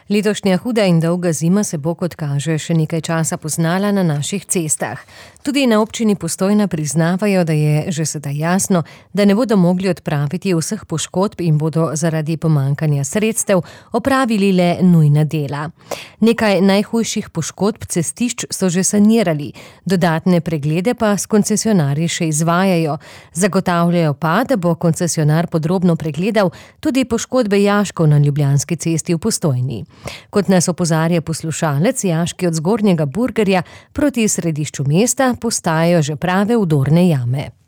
Letošnja huda in dolga zima se bo, kot kaže, še nekaj časa poznala na naših cestah. Tudi na občini Postojna priznavajo, da je že sedaj jasno, da ne bodo mogli odpraviti vseh poškodb in bodo zaradi pomanjkanja sredstev opravili le nujna dela. Nekaj najhujših poškodb cestišč so že sanirali, dodatne preglede pa s koncesionarji še izvajajo. Zagotavljajo pa, da bo koncesionar podrobno pregledal tudi poškodbe jaškov na Ljubljanski cesti v Postojni. Kot nas opozarja poslušalec, jaški od Zgornjega Burgerja proti središču mesta postajajo že prave vdorne jame.